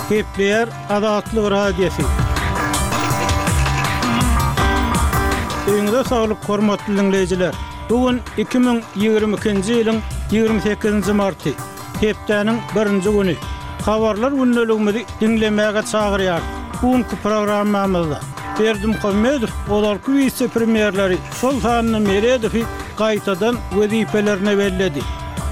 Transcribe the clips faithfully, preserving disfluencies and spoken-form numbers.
Gepleýär Azatlyk Radiosy. Öýüňize saglyk, hormatly diňleýjiler! Bu gün iki müň ýigrimi ikinji ýylyň ýigrimi sekizinji marty, hepdäniň birinji güni. Habarlar gündeligimizi diňlemäge çagyrýarys. Bu günki programmamyzda Berdimuhamedow ozalky wise-premýerleri, şol sanda Meredowy gaýtadan wezipelerine belledi.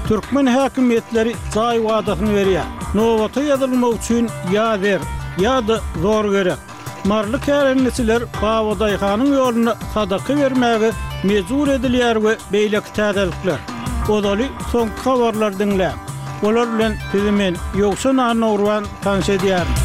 Türkmen häkimiýetleri jaý wadasyny berýär. Nobata ýazylmak üçin ýa zer, ýa-da zor gerek. Maryly kärendeçiler Babadaýhanyň ýoluna sadaka bermäge mejbur edilýär we beýleki täzelikler. Ozaly soňky habarlary diňläň. Olar bilen sizi men, Ýowşan Annagurban tanyş edýärin.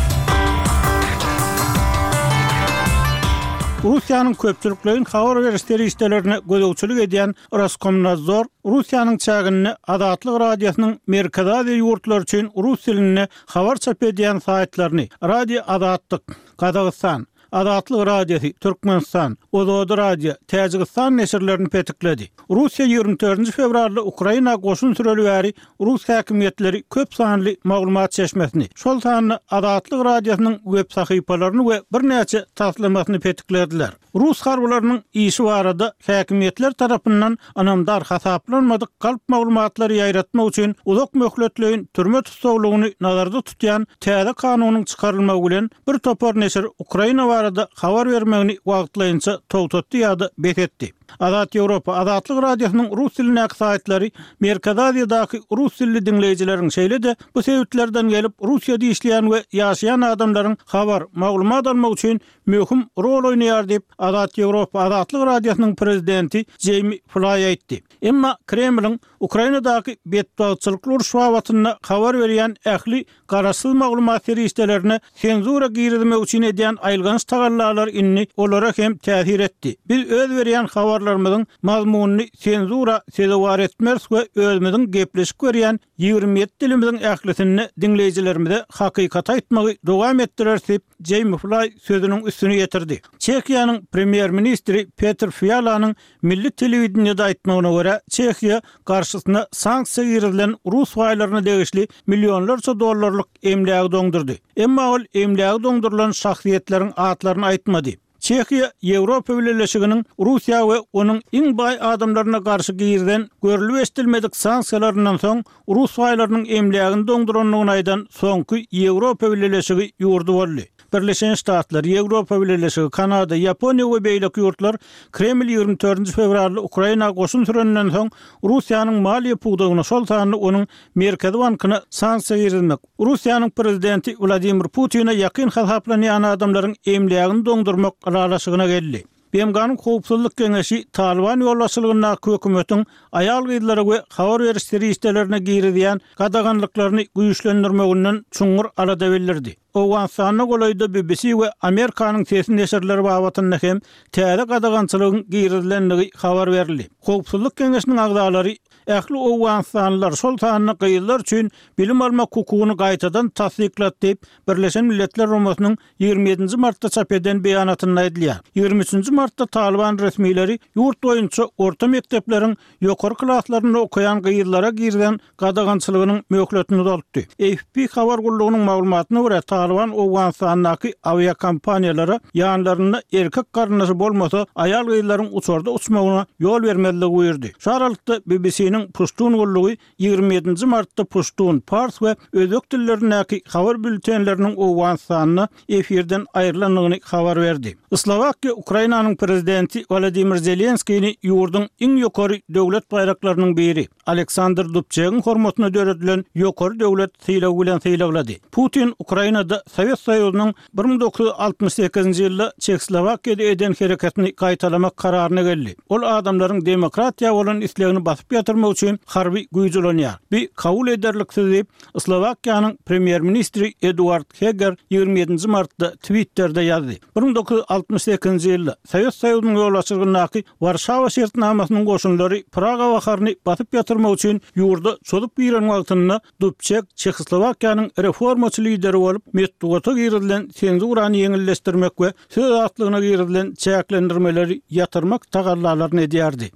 Russiýanyň köpçülikleýin habar beriş serişdelerine gözegçilik edýän Roskomnadzor Russiýanyň çäginde Azatlyk Radiosynyň Merkezi Aziýa ýurtlary üçin rus dilinde habar çap edýän saýtlaryny, Radio Azatlyk, Gazagystan, Azatlyk Radiosy, Türkmenistan, Ozodi Radio, Täjigistan neşirlerini petikledi. Russiýa ýigrimi dördünji fewralda Ukraina goşun süreli bäri rus häkimiýetleri köp sanly maglumat çeşmesini, şol sanda Azatlyk Radiosynyň web sahypalaryny we birnäçe taslamasyny petiklediler. Rus harbylarynyň işi barada häkimiýetler tarapyndan ynamdar hasaplanmadyk galp maglumatlary ýaýratmak üçin uzak möhletleýin türme tussaglygyny nazarda tutýan täze kanunyň çykarylmagy bilen bir topar neşir Ukraina barada habar bermegini wagtlaýynça togtatdy ýa-da bes etdi. Azat Ýewropa, Azatlyk Radiosynyň rus dilindäki saýtlary Merkezi Aziýadaky rus dilli diňleýjileriň, şeýle-de bu sebitlerden gelip Russiýada işleýän we ýaşaýan adamlaryň habar, maglumat almak üçin möhüm rol oýnaýar diýip, Azat Ýewropa Azatlyk Radiosynyň prezidenti Jeými Flaý aýtdy. Emma Kremliň Ukrainadaky betbagtçylykly uruş babatynda habar berýän ähli garaşsyz maglumat serişdelerine senzura girizmek üçin edýän aýylganç tagallalary indi olara hem täsir etdi. Biz öz berýän habarlarymyzyň mazmunyny senzura sezewar etmeris we özümiziň gepleşik berýän ýigrimi ýedi dilimiziň ählisinde diňleýjilerimize hakykaty aýtmagy dowam etdireris diýip, Jeými Flaý sözüniň üstüni ýetirdi. Çehiýanyň premýer-ministri Petr Fialanyň milli telewideniýede aýtmagyna görä, Çehiýa garşysyna sanksiýa girizilen rus baýlaryna degişli millionlarça dollarlyk emlägi doňdurdy. Emma ol emlägi doňdurylan şahsyýetleriň atlaryny aýtmady. Çehiýa Ýewropa Bileleşiginiň Russiýa we onuň iň baý adamlaryna garşy girizen görlüp-eşidilmedik sanksiýalaryndan soň rus baýlarynyň emlägini doňdurandygyny aýdan soňky Ýewropa Bileleşigi ýurdy boldy. Birleşen Ştatlar, Ýewropa Bileleşigi, Kanada, Ýaponiýa we beýleki ýurtlar Kreml ýigrimi dördünji fewralda Ukraina goşun süreninden soň Russiýanyň maliýe pudagyna, şol sanda onuň Merkezi bankyna sanksiýa girizmek, Russiýanyň prezidenti Wladimir Putine ýakyn hasaplanýan adamlaryň emlägini doňdurmak ylalaşygyna geldi. B M G-nyň Howpsuzlyk Geňeşi Talyban ýolbaşçylygyndaky hökümetiň aýal-gyzlara we habar beriş serişdelerine girizýän gadaganlyklaryny güýçlendirmeginden çuňňur alada bildirdi. Owganystanda golaýda B B C we Amerikanyň Sesi neşirleri babatynda hem täze gadagançylygyň girizilendigi habar berildi. Howpsuzlyk Geňeşiniň agzalary ähli owganystanlylar, şol sanda gyzlar üçin bilim almak hukugyny gaýtadan tassyklady diýip, Birleşen Milletler Guramasynyň ýigrimi ýedinji martda çap eden beýanatynda aýdylýar. Ýigrimi üçünji martda Talyban resmileri ýurt boýunça orta mekdepleriň ýokary klaslarynda okaýan gyzlara girizen gadagançylygynyň möhletini uzaltdy. A F P habar gullugynyň maglumatyna görä, Talyban Owganystandaky awiakompaniýalara ýanlarynda erkek garyndaşy bolmasa, aýal-gyzlaryň uçarda uçmagyna ýol bermezligi buýurdy. Şu aralykda B B C-niň Puştun gullugy ýigrimi ýedinji martda puştun, pars we özbek dillerindäki habar bültenleriniň Owganystanda efirden aýrylandygyny habar berdi. Slowakiýa Ukrainanyň prezidenti Wladimir Zelenskini ýurduň iň ýokary döwlet baýraklarynyň biri Aleksandr Dubçegiň hormatyna döredilen ýokary döwlet sylagy bilen sylaglady. Putin Ukrainada Sowet Soýuzynyň bir müň dokuz ýüz altmyş sekizinji ýylda Çehoslowakiýada eden hereketini gaýtalamak kararyna geldi. Ol adamlaryň demokratiýa bolan islegini basyp ýatyrmak üçin harby güýç ulanýar. Bu kabul ederliksiz diýip, Slowakiýanyň premýer-ministri Eduard Heger ýigrimi ýedinji martda Twitterde ýazdy. Bir müň dokuz ýüz altmyş sekizinji ýylda Sowet Soýuzynyň ýolbaşçylygyndaky Warşawa şertnamasynyň goşunlary Praga baharyny basyp ýatyrmak üçin ýurda çozup giren wagtynda Dubçek Çehoslowakiýanyň reformaçy lideri bolup, metbugata girizilen senzurany ýeňilleşdirmek we söz azatlygyna girizilen çäklendirmeleri ýatyrmak tagallalaryny edýärdi.